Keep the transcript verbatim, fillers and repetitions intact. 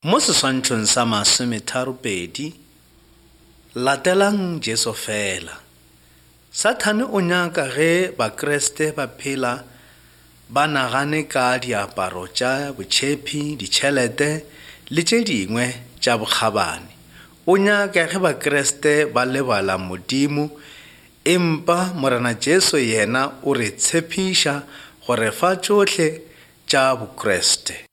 Mo seswantšhong sa masometharopedi, latelang Jesu fela. Sathane o nyaka ge Bakriste ba phela ba nagane ka diaparo tša botšhephi, ditšhelete le tše dingwe tša bokgabane. O nyaka ge Bakriste ba lebala Modimo, empa Morena Jesu yena o re tshepiša go re fa tšohle tša Bokriste.